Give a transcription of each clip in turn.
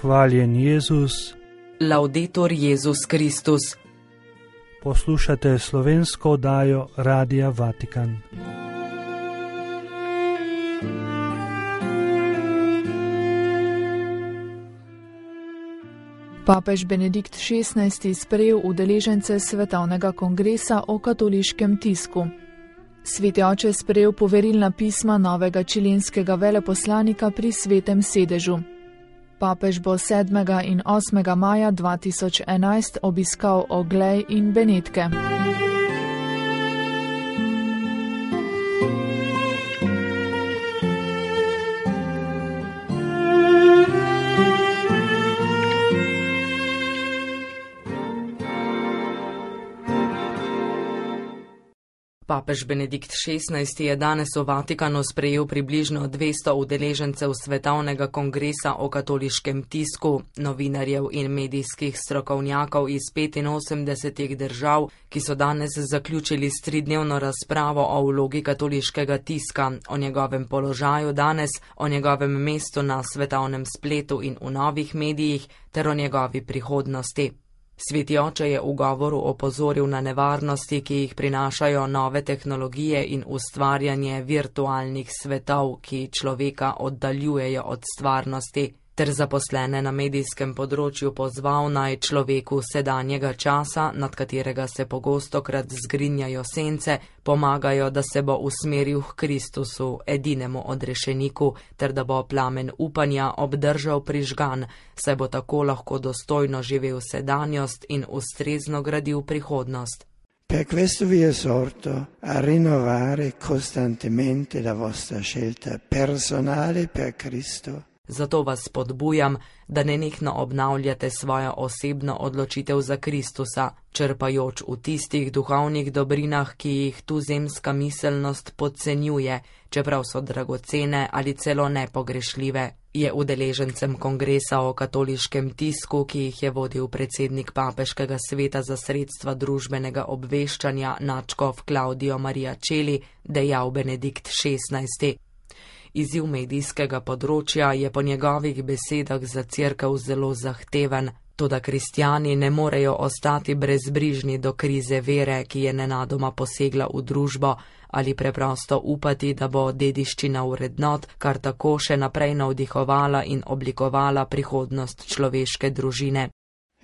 Hvaljen Jezus. Laudetur Jezus Kristus. Poslušate slovensko oddajo Radia Vatikan. Papež Benedikt XVI sprejel udeležence Svetovnega kongresa o katoliškem tisku. Sveti oče sprejel poverilna pisma novega čilenskega veleposlanika pri Svetem sedežu. Papež bo 7. in 8. maja 2011 obiskal Oglej in Benetke. Papež Benedikt XVI je danes v Vatikanu sprejel približno 200 udeležencev Svetovnega kongresa o katoliškem tisku, novinarjev in medijskih strokovnjakov iz 85 držav, ki so danes zaključili s 3-dnevno razpravo o vlogi katoliškega tiska, o njegovem položaju danes, o njegovem mestu na svetovnem spletu in v novih medijih ter o njegovi prihodnosti. Sveti oče je v govoru opozoril na nevarnosti, ki jih prinašajo nove tehnologije in ustvarjanje virtualnih svetov, ki človeka oddaljujejo od stvarnosti, ter zaposlene na medijskem področju pozval naj človeku sedanjega časa, nad katerega se pogostokrat zgrinjajo sence, pomagajo, da se bo usmeril k Kristusu, edinemu odrešeniku, ter da bo plamen upanja obdržal prižgan, saj bo tako lahko dostojno živel sedanjost in ustrezno gradil prihodnost. Per questo vi esorto a rinnovare costantemente la vostra scelta personale per Cristo. Zato vas spodbujam, da nenehno obnavljate svojo osebno odločitev za Kristusa, črpajoč v tistih duhovnih dobrinah, ki jih tuzemska miselnost podcenjuje, čeprav so dragocene ali celo nepogrešljive, je udeležencem kongresa o katoliškem tisku, ki jih je vodil predsednik Papeškega sveta za sredstva družbenega obveščanja nadškof Claudio Maria Celli, dejal Benedikt XVI. Izziv medijskega področja je po njegovih besedah za Cerkev zelo zahteven, toda kristjani ne morejo ostati brezbrižni do krize vere, ki je nenadoma posegla v družbo, ali preprosto upati, da bo dediščina vrednot kar tako še naprej navdihovala in oblikovala prihodnost človeške družine.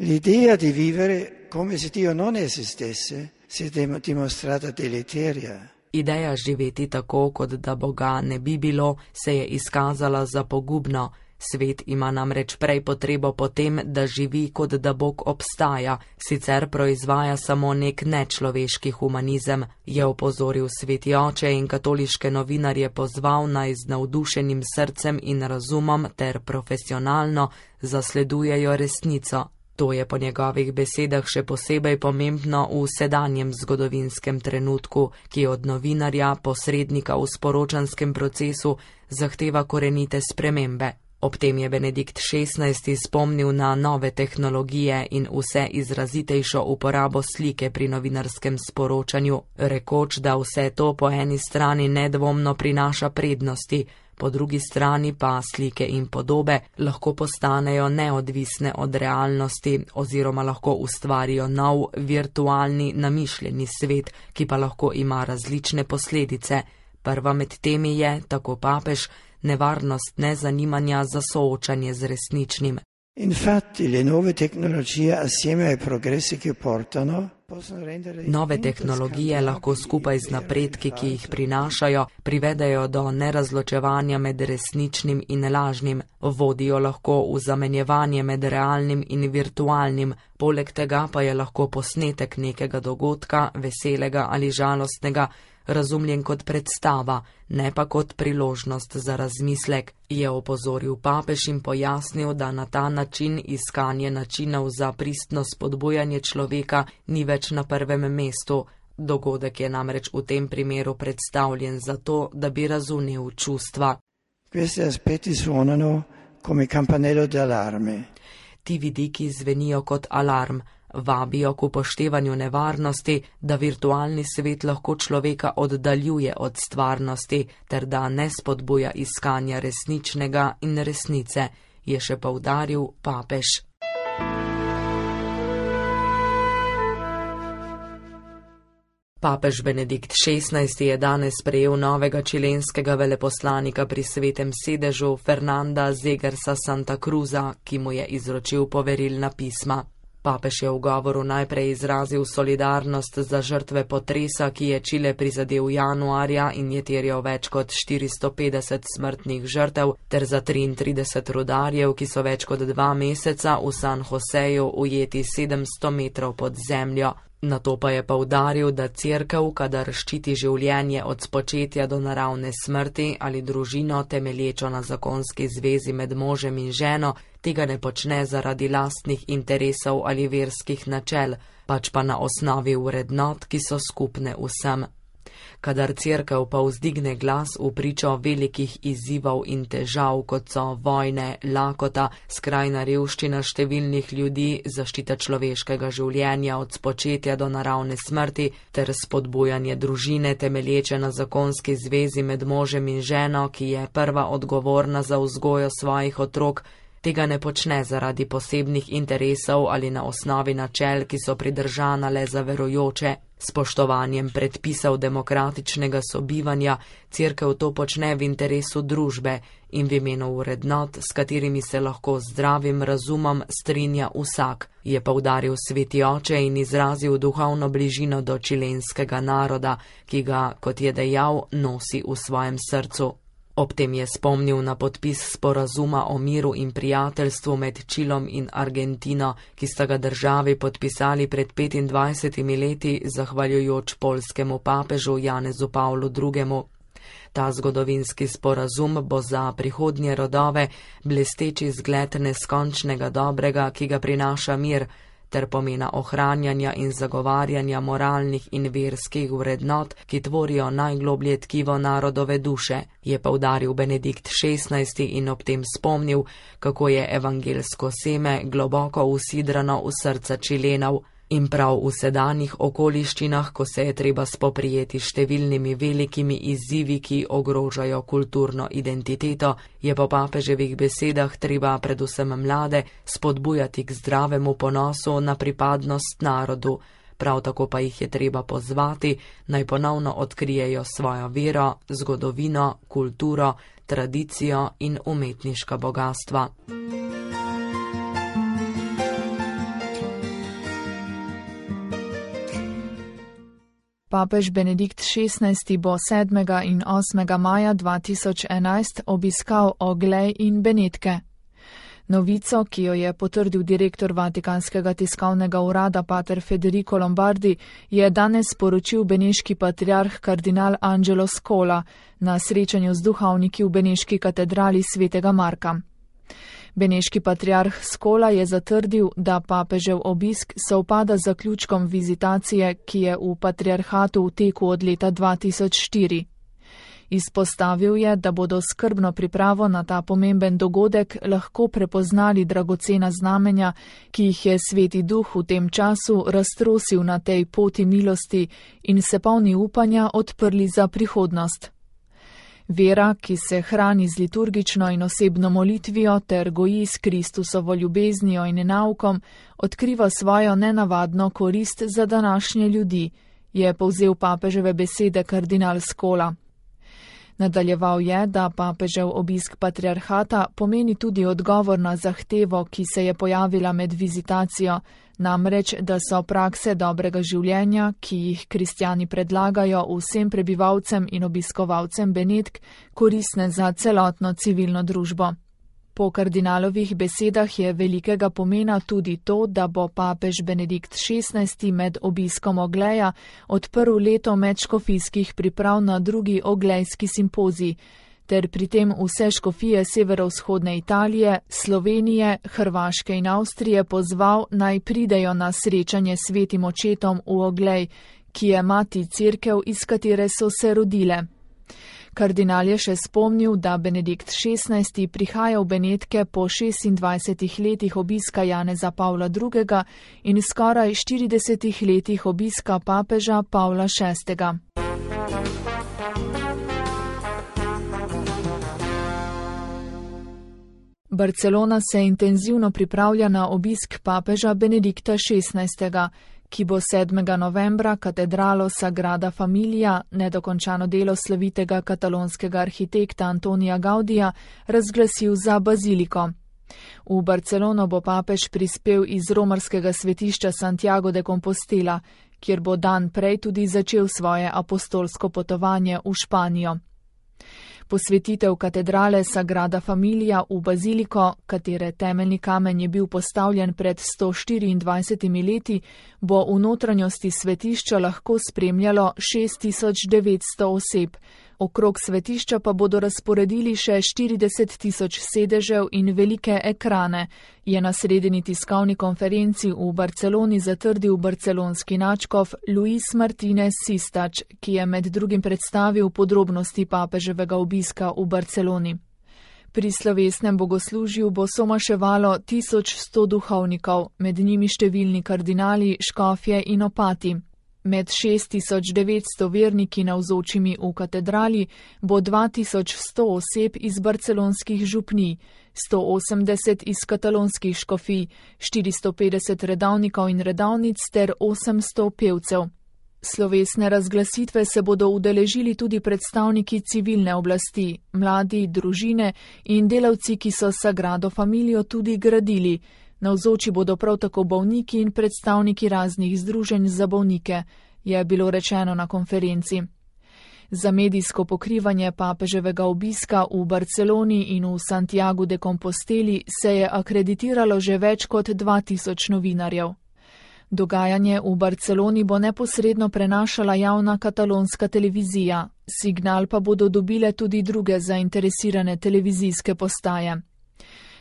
L'idea di vivere come se Dio non esistesse si è dimostrata deleteria. Ideja živeti tako, kot da Boga ne bi bilo, se je izkazala za pogubno. Svet ima namreč prej potrebo po tem, da živi, kot da Bog obstaja, sicer proizvaja samo nek nečloveški humanizem, je opozoril sveti oče in katoliške novinarje pozval naj z navdušenim srcem in razumom ter profesionalno zasledujejo resnico. To je po njegovih besedah še posebej pomembno v sedanjem zgodovinskem trenutku, ki od novinarja, posrednika v sporočanskem procesu, zahteva korenite spremembe. Ob tem je Benedikt XVI spomnil na nove tehnologije in vse izrazitejšo uporabo slike pri novinarskem sporočanju, rekoč, da vse to po eni strani nedvomno prinaša prednosti, po drugi strani pa slike in podobe lahko postanejo neodvisne od realnosti oziroma lahko ustvarijo nov, virtualni, namišljeni svet, ki pa lahko ima različne posledice. Prva med temi je, tako papež, nevarnost nezanimanja za soočanje z resničnim. Infatti, le nuove tecnologie assieme ai progressi che portano Nove tehnologije lahko skupaj z napredki, ki jih prinašajo, privedejo do nerazločevanja med resničnim in lažnim, vodijo lahko v zamenjevanje med realnim in virtualnim, poleg tega pa je lahko posnetek nekega dogodka, veselega ali žalostnega, razumljen kot predstava, ne pa kot priložnost za razmislek, je opozoril papež in pojasnil, da na ta način iskanje načinov za pristno spodbujanje človeka ni več na prvem mestu. Dogodek je namreč v tem primeru predstavljen zato, da bi razumel čustva. Questi aspetti suonano come campanello d'allarme. Ti vidiki zvenijo kot alarm, vabijo k upoštevanju nevarnosti, da virtualni svet lahko človeka oddaljuje od stvarnosti ter da ne spodbuja iskanja resničnega in resnice, je še poudaril papež. Papež Benedikt XVI je danes sprejel novega čilenskega veleposlanika pri Svetem sedežu Fernanda Zegersa Santa Cruza, ki mu je izročil poverilna pisma. Papež je v govoru najprej izrazil solidarnost za žrtve potresa, ki je Čile prizadel januarja in je terjal več kot 450 smrtnih žrtev, ter za 33 rudarjev, ki so več kot 2 meseca v San Joseju ujeti 700 metrov pod zemljo. Nato pa je poudaril, da Cerkev, kadar ščiti življenje od spočetja do naravne smrti ali družino temelječo na zakonski zvezi med možem in ženo, tega ne počne zaradi lastnih interesov ali verskih načel, pač pa na osnovi vrednot, ki so skupne vsem. Kadar Cerkev pa vzdigne glas v pričo velikih izzivov in težav, kot so vojne, lakota, skrajna revščina številnih ljudi, zaščita človeškega življenja od spočetja do naravne smrti ter spodbujanje družine temelječe na zakonski zvezi med možem in ženo, ki je prva odgovorna za vzgojo svojih otrok, tega ne počne zaradi posebnih interesov ali na osnovi načel, ki so pridržana le za verujoče. Spoštovanjem predpisov demokratičnega sobivanja Cerkev to počne v interesu družbe in v imenu vrednot, s katerimi se lahko z zdravim razumom strinja vsak, je poudaril Sveti oče in izrazil duhovno bližino do čilenskega naroda, ki ga, kot je dejal, nosi v svojem srcu. Ob tem je spomnil na podpis sporazuma o miru in prijateljstvu med Čilom in Argentino, ki sta ga državi podpisali pred 25 leti zahvaljujoč poljskemu papežu Janezu Pavlu II. Ta zgodovinski sporazum bo za prihodnje rodove blesteči zgled neskončnega dobrega, ki ga prinaša mir, ter pomena ohranjanja in zagovarjanja moralnih in verskih vrednot, ki tvorijo najgloblje tkivo narodove duše, je poudaril Benedikt XVI in ob tem spomnil, kako je evangelsko seme globoko usidrano v srca Čilenov. In prav v sedanjih okoliščinah, ko se je treba spoprijeti številnimi velikimi izzivi, ki ogrožajo kulturno identiteto, je po papeževih besedah treba predvsem mlade spodbujati k zdravemu ponosu na pripadnost narodu. Prav tako pa jih je treba pozvati, naj ponovno odkrijejo svojo vero, zgodovino, kulturo, tradicijo in umetniška bogastva. Papež Benedikt XVI bo 7. in 8. maja 2011 obiskal Oglej in Benetke. Novico, ki jo je potrdil direktor Vatikanskega tiskovnega urada pater Federico Lombardi, je danes sporočil beneški patriarh kardinal Angelo Scola na srečanju z duhovniki v beneški katedrali svetega Marka. Beneški patriarh Scola je zatrdil, da papežev obisk sovpada z zaključkom vizitacije, ki je v patriarhatu v teku od leta 2004. Izpostavil je, da bodo skrbno pripravo na ta pomemben dogodek lahko prepoznali dragocena znamenja, ki jih je Sveti Duh v tem času raztrosil na tej poti milosti in se polni upanja odprli za prihodnost. Vera, ki se hrani z liturgično in osebno molitvijo ter goji s Kristusovo ljubeznijo in naukom, odkriva svojo nenavadno korist za današnje ljudi, je povzel papeževe besede kardinal Scola. Nadaljeval je, da papežev obisk patriarhata pomeni tudi odgovor na zahtevo, ki se je pojavila med vizitacijo, namreč, da so prakse dobrega življenja, ki jih kristjani predlagajo vsem prebivalcem in obiskovalcem Benetk, koristne za celotno civilno družbo. Po kardinalovih besedah je velikega pomena tudi to, da bo papež Benedikt XVI med obiskom Ogleja odprl leto medškofijskih priprav na drugi oglejski simpozij, ter pri tem vse škofije severovzhodne Italije, Slovenije, Hrvaške in Avstrije pozval, naj pridejo na srečanje s svetim očetom v Oglej, ki je mati cerkev, iz katere so se rodile. Kardinal je še spomnil, da Benedikt XVI prihaja v Benetke po 26 letih obiska Janeza Pavla II. In skoraj 40 letih obiska papeža Pavla VI. Barcelona se intenzivno pripravlja na obisk papeža Benedikta XVI., ki bo 7. novembra katedralo Sagrada Familia, nedokončano delo slovitega katalonskega arhitekta Antonija Gaudija, razglasil za baziliko. V Barcelono bo papež prispel iz romarskega svetišča Santiago de Compostela, kjer bo dan prej tudi začel svoje apostolsko potovanje v Španijo. Posvetitev katedrale Sagrada Familia v baziliko, katere temeljni kamen je bil postavljen pred 124 leti, bo v notranjosti svetišča lahko spremljalo 6900 oseb. Okrog svetišča pa bodo razporedili še 40.000 sedežev in velike ekrane, je na sredini tiskovni konferenci v Barceloni zatrdil barcelonski nadškof Luis Martínez Sistač, ki je med drugim predstavil podrobnosti papeževega obiska v Barceloni. Pri slovesnem bogoslužju bo somaševalo 1100 duhovnikov, med njimi številni kardinali, škofje in opati. Med 6900 verniki navzočimi v katedrali bo 2100 oseb iz barcelonskih župnij, 180 iz katalonskih škofij, 450 redavnikov in redavnic ter 800 pevcev. Slovesne razglasitve se bodo udeležili tudi predstavniki civilne oblasti, mladi, družine in delavci, ki so Sagrado Familio tudi gradili. Navzoči bodo prav tako bolniki in predstavniki raznih združenj za bolnike, je bilo rečeno na konferenci. Za medijsko pokrivanje papeževega obiska v Barceloni in v Santiagu de Composteli se je akreditiralo že več kot 2000 novinarjev. Dogajanje v Barceloni bo neposredno prenašala javna katalonska televizija, signal pa bodo dobile tudi druge zainteresirane televizijske postaje.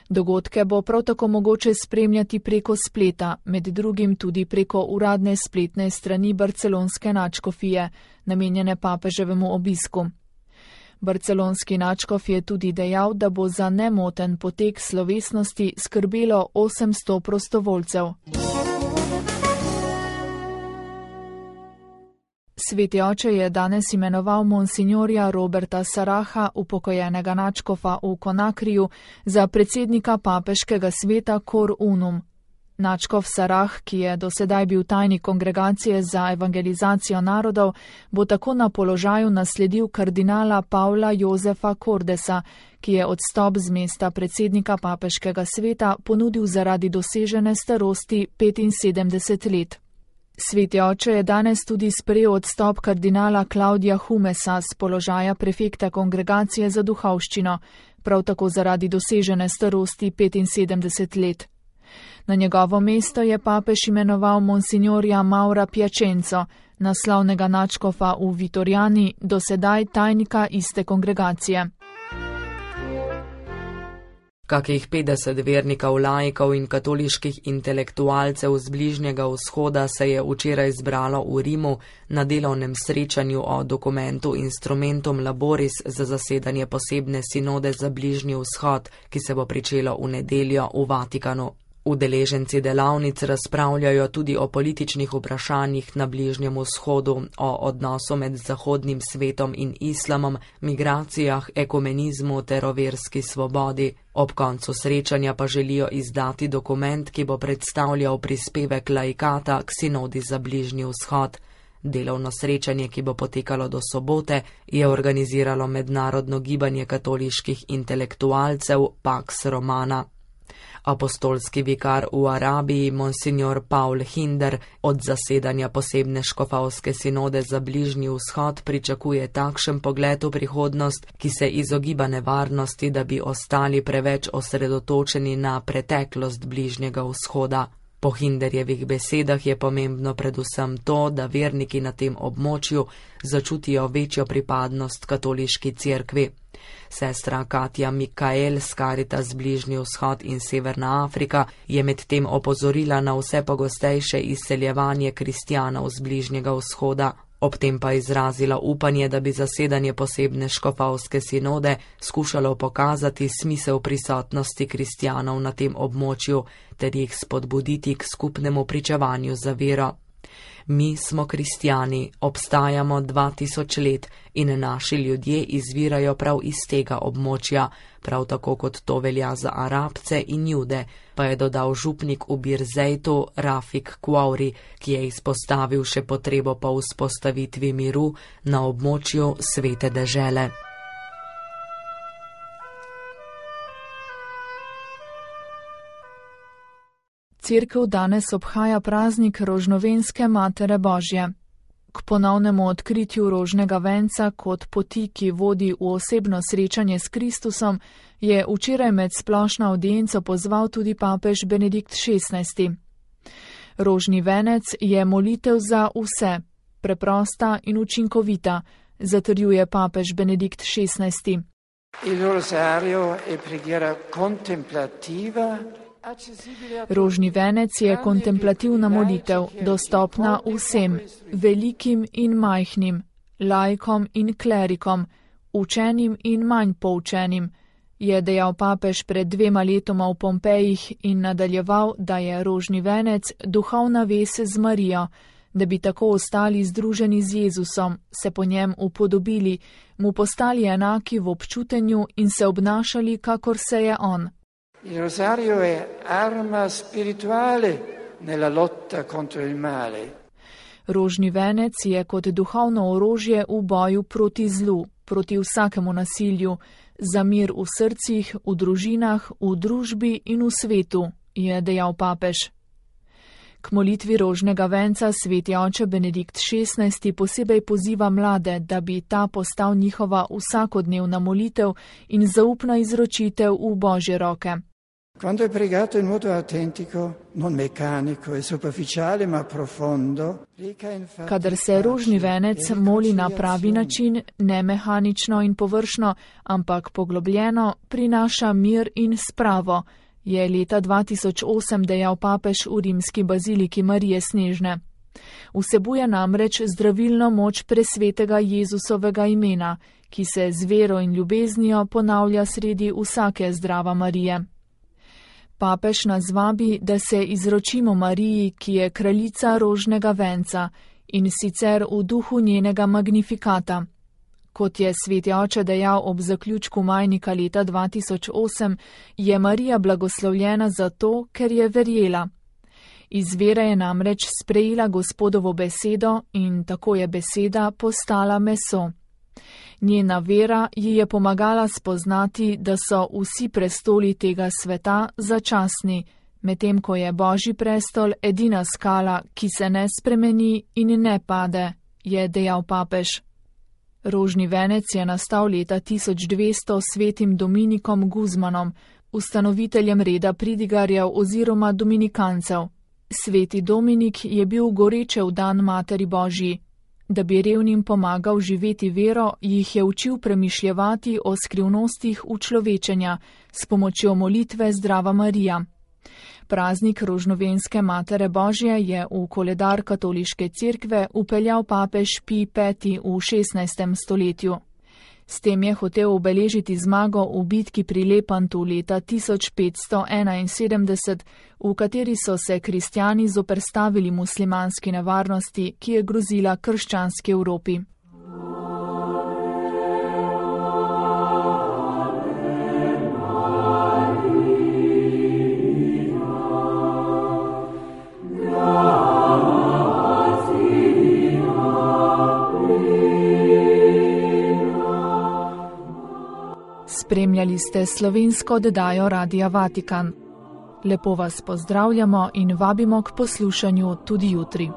Dogodke bo prav tako mogoče spremljati preko spleta, med drugim tudi preko uradne spletne strani barcelonske nadškofije, namenjene papeževemu obisku. Barcelonski nadškof je tudi dejal, da bo za nemoten potek slovesnosti skrbelo 800 prostovoljcev. Sveti oče je danes imenoval monsignorja Roberta Saraha, upokojenega nadškofa v Konakriju, za predsednika papeškega sveta Cor Unum. Nadškof Sarah, ki je dosedaj bil tajnik kongregacije za evangelizacijo narodov, bo tako na položaju nasledil kardinala Pavla Jozefa Cordesa, ki je odstop z mesta predsednika papeškega sveta ponudil zaradi dosežene starosti 75 let. Sveti oče je danes tudi sprejel odstop kardinala Klaudija Humesa z položaja prefekta kongregacije za duhovščino, prav tako zaradi dosežene starosti 75 let. Na njegovo mesto je papež imenoval monsignorja Maura Piacenzo, naslovnega nadškofa v Vitorjani, dosedaj tajnika iste kongregacije. Kakih 50 vernikov, laikov in katoliških intelektualcev z Bližnjega vzhoda se je včeraj zbralo v Rimu na delovnem srečanju o dokumentu Instrumentum Laboris za zasedanje posebne sinode za Bližnji vzhod, ki se bo pričelo v nedeljo v Vatikanu. Udeleženci delavnic razpravljajo tudi o političnih vprašanjih na Bližnjem vzhodu, o odnosu med zahodnim svetom in islamom, migracijah, ekumenizmu ter o verski svobodi. Ob koncu srečanja pa želijo izdati dokument, ki bo predstavljal prispevek laikata k sinodi za Bližnji vzhod. Delovno srečanje, ki bo potekalo do sobote, je organiziralo mednarodno gibanje katoliških intelektualcev Pax Romana. Apostolski vikar v Arabiji, monsignor Paul Hinder, od zasedanja posebne škofovske sinode za Bližnji vzhod pričakuje takšen pogled v prihodnost, ki se izogiba nevarnosti, da bi ostali preveč osredotočeni na preteklost Bližnjega vzhoda. Po Hinderjevih besedah je pomembno predvsem to, da verniki na tem območju začutijo večjo pripadnost katoliški cerkvi. Sestra Katja Mikael z Caritas Bližnji vzhod in Severna Afrika je medtem opozorila na vse pogostejše izseljevanje kristjanov z Bližnjega vzhoda. Ob tem pa izrazila upanje, da bi zasedanje posebne škofovske sinode skušalo pokazati smisel prisotnosti kristjanov na tem območju ter jih spodbuditi k skupnemu pričevanju za vero. Mi smo kristjani, obstajamo 2000 let in naši ljudje izvirajo prav iz tega območja, prav tako kot to velja za Arabce in Jude, pa je dodal župnik v Birzeitu Rafik Kuauri, ki je izpostavil še potrebo po vzpostavitvi miru na območju svete dežele. Cerkev danes obhaja praznik Rožnovenske Matere Božje. K ponovnemu odkritju rožnega venca kot poti, ki vodi v osebno srečanje s Kristusom, je včeraj med splošno avdienco pozval tudi papež Benedikt XVI. Rožni venec je molitev za vse, preprosta in učinkovita, zatrjuje papež Benedikt XVI. Il rosario è preghiera contemplativa. Rožni venec je kontemplativna molitev, dostopna vsem, velikim in majhnim, laikom in klerikom, učenim in manj poučenim, je dejal papež pred 2 letoma v Pompejih in nadaljeval, da je rožni venec duhovna vez z Marijo, da bi tako ostali združeni z Jezusom, se po njem upodobili, mu postali enaki v občutenju in se obnašali, kakor se je on. Il rosario è arma spirituale nella lotta contro il male. Rožni venec je kot duhovno orožje v boju proti zlu, proti vsakemu nasilju, za mir v srcih, v družinah, v družbi in v svetu, je dejal papež. K molitvi rožnega venca sveti oče Benedikt XVI posebej poziva mlade, da bi ta postal njihova vsakodnevna molitev in zaupna izročitev v Božje roke. Quando è pregato in modo autentico, non meccanico e superficiale, ma profondo, kadar se rožni venec moli na pravi način, ne mehanično in površno, ampak poglobljeno, prinaša mir in spravo, je leta 2008 dejal papež v rimski baziliki Marije Snežne. Vsebuje namreč zdravilno moč presvetega Jezusovega imena, ki se z vero in ljubeznijo ponavlja sredi vsake zdrava Marije. Papež nas vabi, da se izročimo Mariji, ki je kraljica rožnega venca, in sicer v duhu njenega magnifikata. Kot je sveti oče dejal ob zaključku majnika leta 2008, je Marija blagoslovljena zato, ker je verjela. Iz vere je namreč sprejela Gospodovo besedo in tako je beseda postala meso. Njena vera ji je pomagala spoznati, da so vsi prestoli tega sveta začasni, medtem ko je Božji prestol edina skala, ki se ne spremeni in ne pade, je dejal papež. Rožni venec je nastal leta 1200 svetim Dominikom Guzmanom, ustanoviteljem reda pridigarjev oziroma dominikancev. Sveti Dominik je bil goreče vdan Materi Božji. Da bi revnim pomagal živeti vero, jih je učil premišljevati o skrivnostih učlovečenja s pomočjo molitve Zdrava Marija. Praznik Rožnovenske Matere Božje je v koledar katoliške cerkve vpeljal papež Pij V v 16. stoletju. S tem je hotel obeležiti zmago v bitki pri Lepantu leta 1571, v kateri so se kristjani zoperstavili muslimanski nevarnosti, ki je grozila krščanski Evropi. Spremljali ste slovensko oddajo Radia Vatikan. Lepo vas pozdravljamo in vabimo k poslušanju tudi jutri.